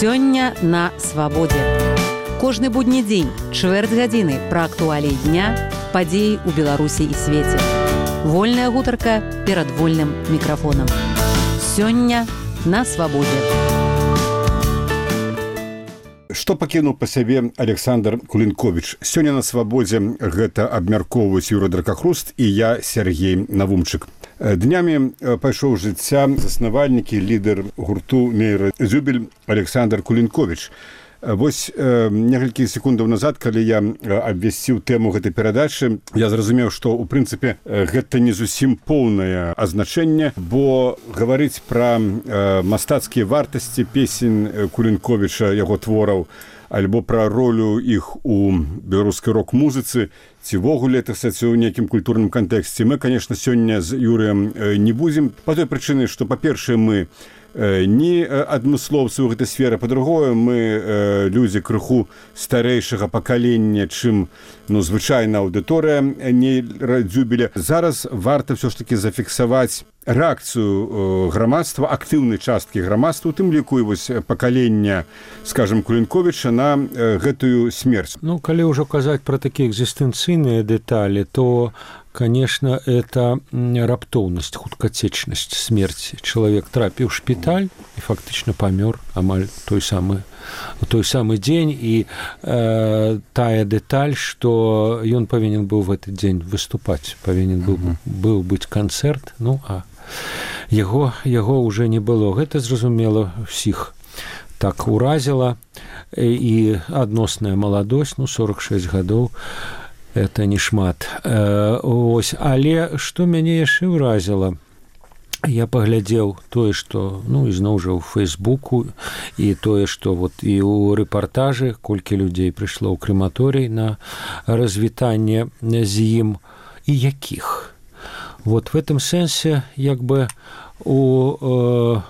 Сёння на свабодзе. Кожны будні дзень, чвэрць гадзіны пра актуаліі дня, падзеі ў Беларусі і свеце. Вольная гутарка перад вольным мікрафонам. Сёння на свабодзе. Што пакінуў па сябе Александр Кулінковіч? Сёння на свабодзе гэта абмяркоўваюць Юра Дракахруст і я, Сергей Навумчык. Днямі пайшоў жыцця заснавальнікі, лідар гурту Мейра Зюбель Александр Кулінковіч. Вось некалькі секундаў назад, калі я абвясціў тэму гэтай перадачы, я зразумеў, што ў прынцыпе гэта не зусім поўнае азначэнне, бо гаварыць пра мастацкія вартасці песень Кулінковіча, яго твораў, альбо пра ролю іх у беларускай рок-музыцы, ці вогуле ў нейкім культурным кантэксце, мы, конечно, сёння з Юрыем не будзем. Па той прычыны, што, па-першае, мы не адмыслоўцы ў гэтай сферы, па-другое, мы людзі крыху старэйшага пакалення, чым звычайна аўдыторыя Мейра Зюбеля. Зараз варта ўсё ж такі зафіксаваць рэакцыю грамадства, актыўнай часткі грамадства, у тым ліку і вось пакалення, скажем, Кулінковіча на гэтую смерць. Калі ўжо казаць пра такія экзістэнцыйныя дэталі, то, конечно, это раптоўнасць, хуткацечнасць смерці. Чалавек трапіў у шпіталь і фактычна памёр амаль той самы дзень, і тая дэталь, што ён павінен быў в этот дзень выступаць, павінен быў быць канцэрт, а яго уже не было. Гэта, зразумела, усіх так уразіла, і адносная маладосць, 46 гадоў, это не шмат. Але што мяне яшчэ ўразіла? Я паглядзеў тое, што, ізноў жа ў Фэйсбуку, і тое, што і ў рэпартажы, колькі людзей прыйшло ў крематорый на развітанне з ім, і якіх. В гэтым сэнсе, у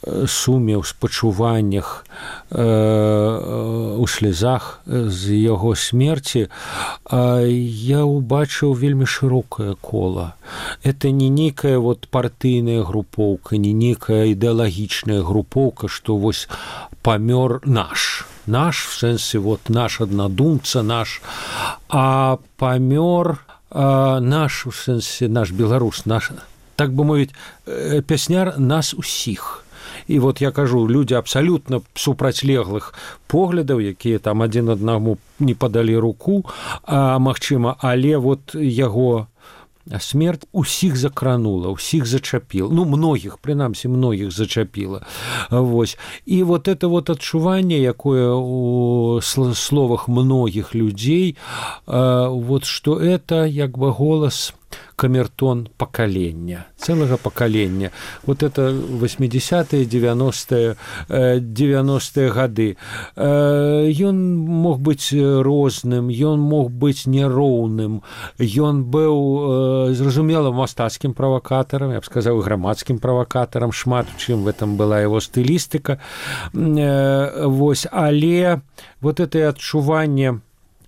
суме, ў спачуваннях, у слезах з яго смерці, я ўбачыў вельмі шырокае кола. Это не нейкая партыйная групоўка, не нейкая ідэалагічная групоўка, што памёр наш, в сэнсе наш аднадумца, а памёр наш, у сэнсе наш беларус, наш, так бы мовіць, пясняр нас усіх. І я кажу, людзі абсалютна супрацьлеглых поглядаў, якія там адзін аднаму не падалі руку, магчыма, але яго смерць усіх закранула, усіх зачапіла. Многіх, прынамсі, многіх зачапіла. І это адчуванне, якое у словах многіх людзей, што это голас камертон пакалення, цэлага пакалення. Это 80-е, 90-е гады. Ён мог быць розным, ён мог быць няроўным, ён быў, зразумела, мастацкім правакатарам, я б сказаў, грамадскім правакатарам, шмат у чым в этом была яго стылістыка. Але это адчуванне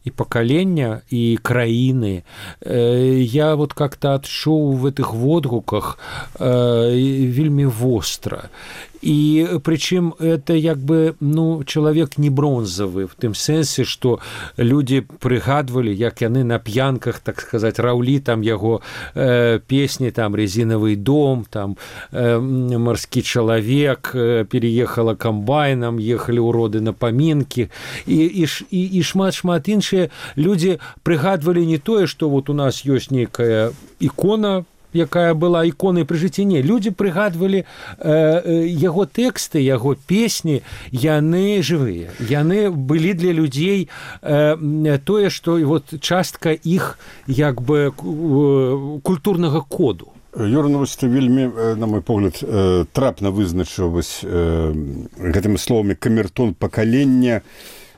і пакалення, і краіны, я как-то адчуў в этих водгуках вельмі востра. І прычым это чалавек не бронзавы, в тым сэнсе, што людзі прыгадвалі, як яны на п'янках, так сказаць, раўлі там яго песні, там «Резиновый дом», там «Морский человек», «Переехала комбайном», «Ехали уроды на поминки», і шмат іншыя людзі прыгадвалі не тое, што у нас ёсць нейкая ікона, якая была іконай пры жыцці. Не, людзі прыгадвалі яго тэксты, яго песні, яны жывыя. Яны былі для людзей тое, што частка іх культурнага коду. Юра, ты вельмі, на мой погляд, трапна вызначыў гэтымі словамі камертон пакалення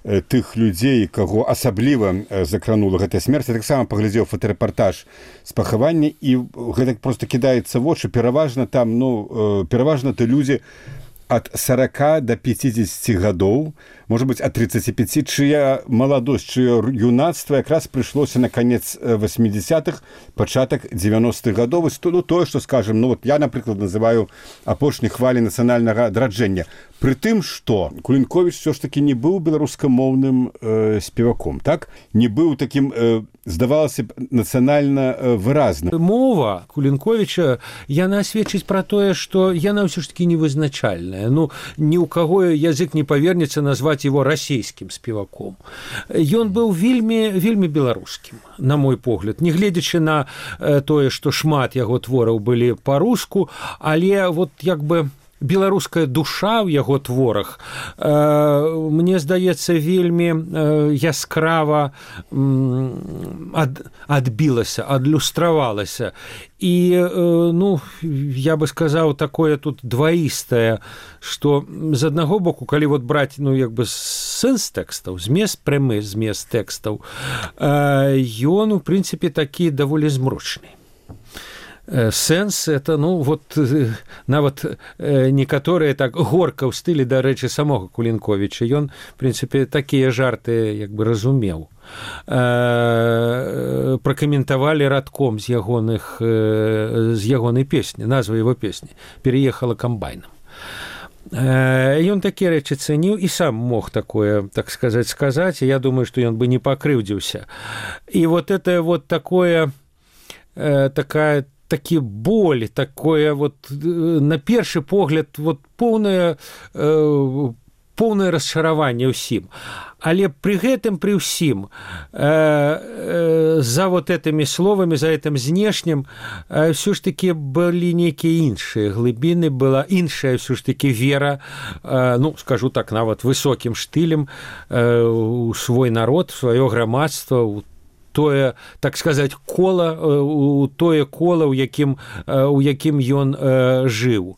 тых людзей, каго асабліва закранула гэтая смерць. Я таксама паглядзеў фотарэпартаж з пахавання, і гэта проста кідаецца вочы. Пераважна ты людзі ад 40 до 50 гадоў. может быть, от 35, чья молодость, чье юнацтво как раз пришлося на конец 80-х, початок 90-х годов. Ну, то, что, скажем, ну, вот я, например, называю апошняй хвали национального адраджэння. При тым, што Кулінковіч все ж таки не быў беларускамоўным спеваком, так? Не быў таким, здавалася б, нацыянальна выразным. Мова Кулінковіча, яна сведчыць пра тое, што яна ўсё ж таки невызначальная. Ну, ні ў каго язык не павернецца назваць его расійскім спеваком. Ён быў вельмі беларускім, на мой погляд. Не гледзячы на тое, што шмат яго твораў былі па-руску, але вот як бы беларуская душа ў яго творах, мне здаецца, вельмі яскрава адбілася, адлюстравалася. І, ну, я бы сказаў, такое тут дваістае, што з аднаго боку, калі вот браць, ну, як бы сэнс тэкстаў, змест, прямы змест тэкстаў, ён, у прынцыпе, такі даволі змрочны. Сэнс это, ну, вот нават некаторыя так горка ў стылі, дарэчы, самога Кулінковіча. Ён, в прынцыпе, такія жарты як бы разумеў. Пракаментавалі радком з ягонай песні, назва его песні «Переехала комбайном». Ён такія рэчы цэніў і сам мог такое, так сказаць, я думаю, што ён бы не пакрыўдзіўся. І вот это вот такое, такі боль, такое вот на першы погляд вот поўнае расчараванне ўсім. Але пры гэтым, пры ўсім, за вот этими словамі, за этим знешнім, ўсё ж такі былі нейкія іншыя глыбіны, была іншая ўсё ж такі вера, ну, скажу так, нават высокім штылем у свой народ, сваё грамадства, у тое, так сказаць, кола, у тое кола, у якім ён жыў.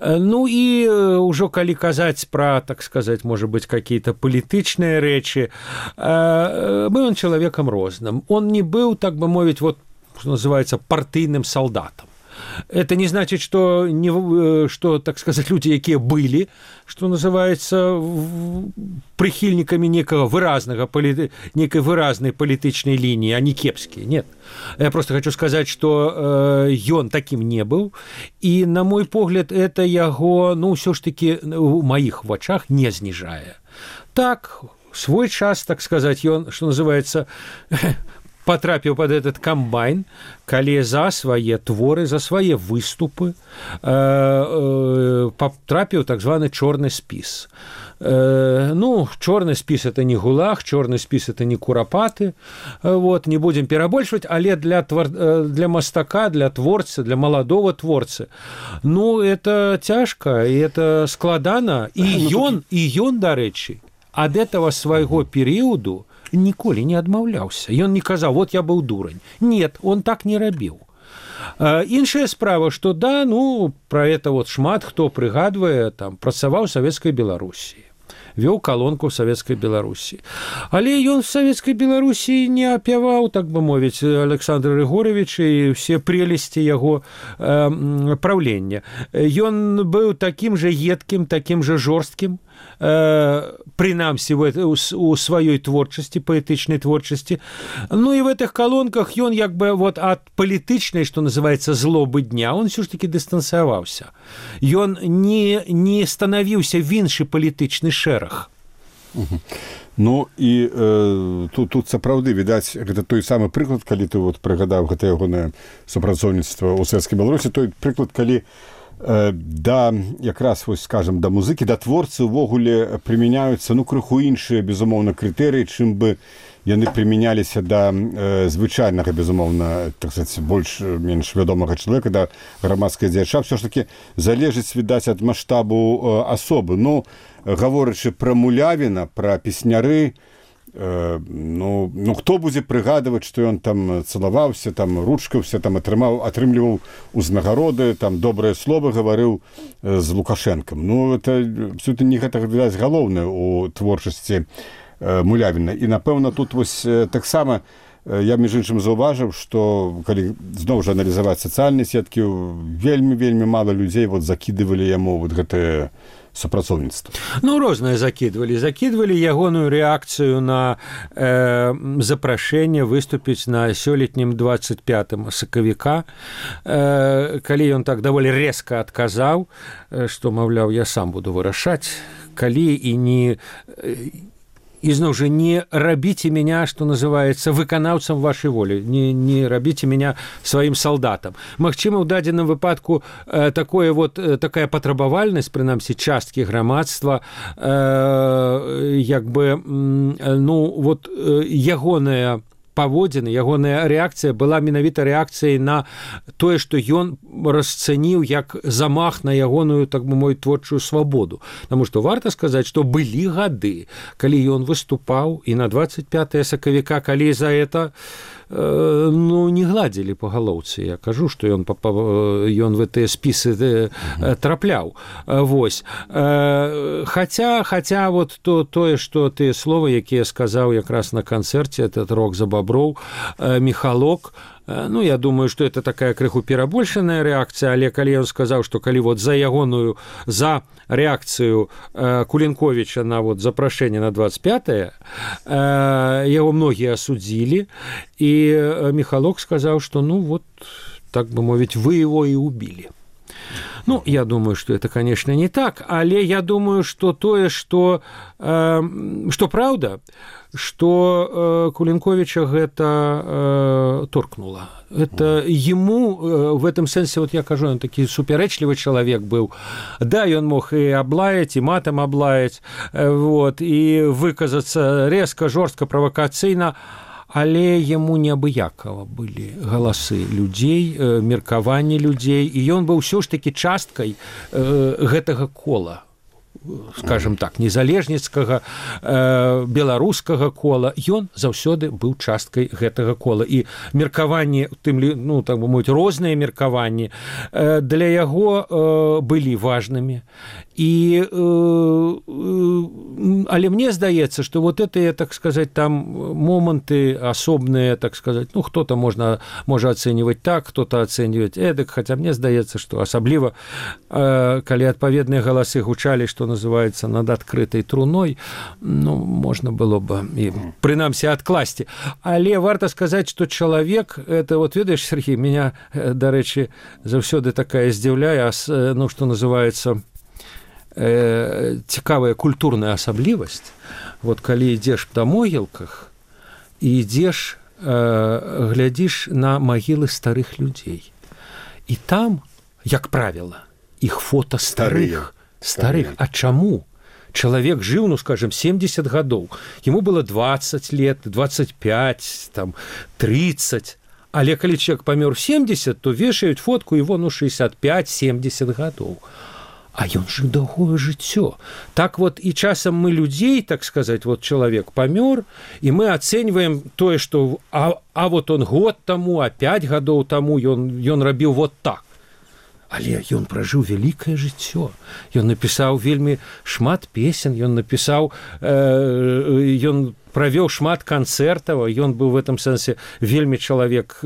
Ну і ўжо калі казаць пра, так сказаць, можа быць, какие-то палітычныя рэчы, быў он чалавекам розным. Он не быў, так бы мовіць, вот, что называется, партыйным солдатам. Это не значит, что, так сказать, люди, якія былі, что называется, прыхільнікамі некай выразнай палітычнай лініі, а не кепскія. Нет. Я просто хочу сказать, что ён таким не быў, и, на мой погляд, это яго, ну, ўсё ж таки, у маіх вачах не зніжае. Так, свой час, так сказать, ён, что называется, потрапіў под этот комбайн, калі за свае творы, за свае выступы потрапіў так званы чорны спіс. Ну, чорны спіс это не гулаг, чорны спіс это не курапаты, вот, не будем перабольшваць, але для мастака, для творцы, для маладого творцы, ну, это цяжка, и это складана, і ён, дарэчы, ад этого свайго перыяду ніколі не адмаўляўся. Ён не казаў, вот я быў дурань. Нет, он так не рабіў. Іншая справа, што да, ну, пра это вот шмат хто прыгадвае, там, працаваў у Савецкай Беларусі, вёў калонку ў Савецкай Беларусі. Але ён в Савецкай Беларусі не апяваў, так бы мовіць, Александра Григоровича і ўсе прелесці яго правлення. Ён быў такім жа едкім, такім жа жорсткім, прынамсі у сваёй творчасці, паэтычнай творчасці. Ну і в этих колонках ён як бы вот ад палітычнай, што называецца, злобы дня, он все ж таки дыстанцыяваўся. Ён не станавіўся в іншы палітычны шэраг. Ну і тут сапраўды, відаць, гэта той самы прыклад, калі ты вот прыгадаў гэта ягонае супрацоўніцтва ў Савецкай Беларусі, той прыклад, калі да, якраз, вось, скажем, да музыкі, да творцы ўвогуле прымяняюцца, ну, крыху іншыя, безумоўна, крытэрыі, чым бы яны прымяняліся да звычайнага, безумоўна, так сказаць, больш-менш вядомага чалавека, да грамадскай дзеяча. Все ж таки залежыць, відаць, ад маштабу асобы. Ну, гаворачы пра Мулявіна, пра песняры, ну, хто будзе прыгадваць, што ён там цалаваўся, там ручкаўся, там атрымліваў узнагароды, там добрыя словы гаварыў з Лукашэнкам. Ну, это абсолютно не гэта, відаць, галоўнае у творчасці Мулявіна. І, напэўна, тут вось таксама я, між іншым, заўважыў, што калі зноў жа аналізаваць сацыяльныя сеткі, вельмі мала людзей вот закідывалі яму вот гэтыя супрацоўніцтва? Ну, рознае закідвалі ягоную рэакцыю на запрашэнне выступіць на сёлетнім 25 сакавіка, калі ён так даволі рэзка адказаў, што, маўляў, я сам буду вырашаць, калі і не... І зноў жа, не рабіце меня, што называецца, выканаўцам вашай волі, не рабіце меня сваім салдатам. Магчыма, ў дадзеным выпадку такая патрабавальнасць, прынамсі, часткі грамадства, ягоная паводзіны, ягоная рэакцыя была менавіта рэакцыяй на тое, што ён расцэніў як замах на ягоную, так бы мовіць, творчую свабоду. Таму што варта сказаць, што былі гады, калі ён выступаў, і на 25 сакавіка, калі за это не гладзілі па галоўцы. Я кажу, што ён в гэтыя спісы трапляў. Вось. Хаця вот тое, што тыя словы, якія сказаў якраз на канцэрце, этот рок за баброў, Михалок, я думаю, што это такая крыху перабольшаная рэакцыя, але калі ён сказаў, што калі за рэакцыю Кулінковіча на запрашэнне на 25-е, яго многія асудзілі, і Михалок сказаў, што так бы мовіць, вы его і убілі. Я думаю, что это, конечно, не так, але я думаю, что что правда, что Кулінковіча гэта торкнула. Это ему в этом сэнсе, я кажу, он такі супярэчлівы чалавек быў. Да, ён мог і аблаяць, і матам аблаяць, і выказацца рэзка, жорстка, правакацыйна, але яму неабыякава былі галасы людзей, меркаванні людзей, і ён быў ўсё ж такі часткай гэтага кола, скажем так, незалежніцкага, беларускага кола. Ён заўсёды быў часткай гэтага кола. І меркаванні, так бы мовіць, розныя меркаванні для яго былі важнымі. Але мне здаецца, што гэтыя, так сказаць, там моманты асобныя, так сказаць, хто-то можа ацэньваць так, хто-то ацэньваць эдак, хаця мне здаецца, што асабліва, калі адпаведныя галасы гучалі, што называецца, над адкрытай труной, можна было бы і прынамсі адкласці. Але варта сказаць, што чалавек, это, ведаеш, Сергей, меня, дарэчы, заўсёды такая здзіўляе, што называецца, цікавая культурная асаблівасць. Калі ідзеш па могілках і ідзеш, глядзіш на магілы старых людзей. І там, як правіла, іх фота старых. А чаму? Чалавек жыў, скажем, 70 гадоў. Яму было 20 лет, 25, 30. Але калі чалавек памёр 70, то вешаюць фотку его 65-70 гадоў. А ён жыў доўгое жыццё. Так і часам мы людзей, так сказаць, чалавек памёр, і мы ацэньваем тое, што он год таму, 5 гадоў таму ён рабіў так. Але ён пражыў вялікае жыццё. Ён напісаў вельмі шмат песен, ён правёў шмат канцэртаў, ён быў в этом сэнсе вельмі чалавек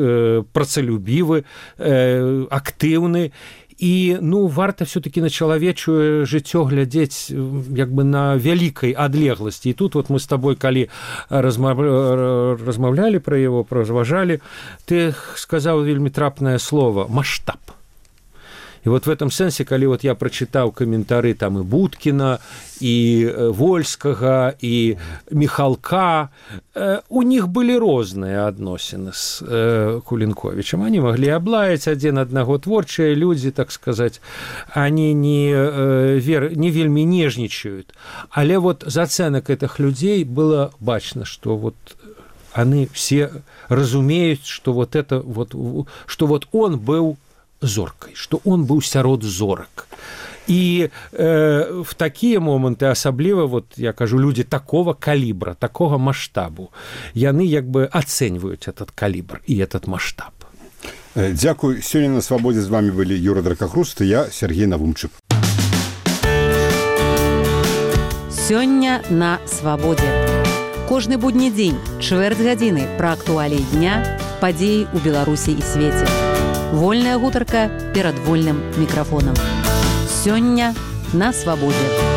працалюбівы, актыўны. І, варта все-таки на чалавечае жыццё глядзець на вялікай адлегласці. І тут мы з табой, калі размаўлялі пра яго, разважалі, ты сказаў вельмі трапнае слово «маштаб». І в этом сэнсе, калі я прачытаў каментары там і Будкіна, і Вольскага, і Михалка, у них былі розныя адносіны з Кулінковічам. Они маглі аблаяць адзін аднаго, творчыя людзі, так сказаць, они не вельмі нежнічаюць. Але з ацэнак гэтых людзей было бачна, што они все разумеюць, што он быў зоркай, што он быў сярод зорак. І в такія моманты асабліва, я кажу, людзі такого калібра, такога маштабу, яны ацэньваюць этот калібр і этот маштаб. Дзякуй. Сёння на свабодзе з вами былі Юра Дракахруст і я, Сергей Навумчык. Сёння на свабодзе. Кожны будні дзень, чвэрць гадзіны пра актуаліі дня, падзеі ў Беларусі і свеце. Вольная гутарка перад вольным мікрафонам. Сёння на свабодзе.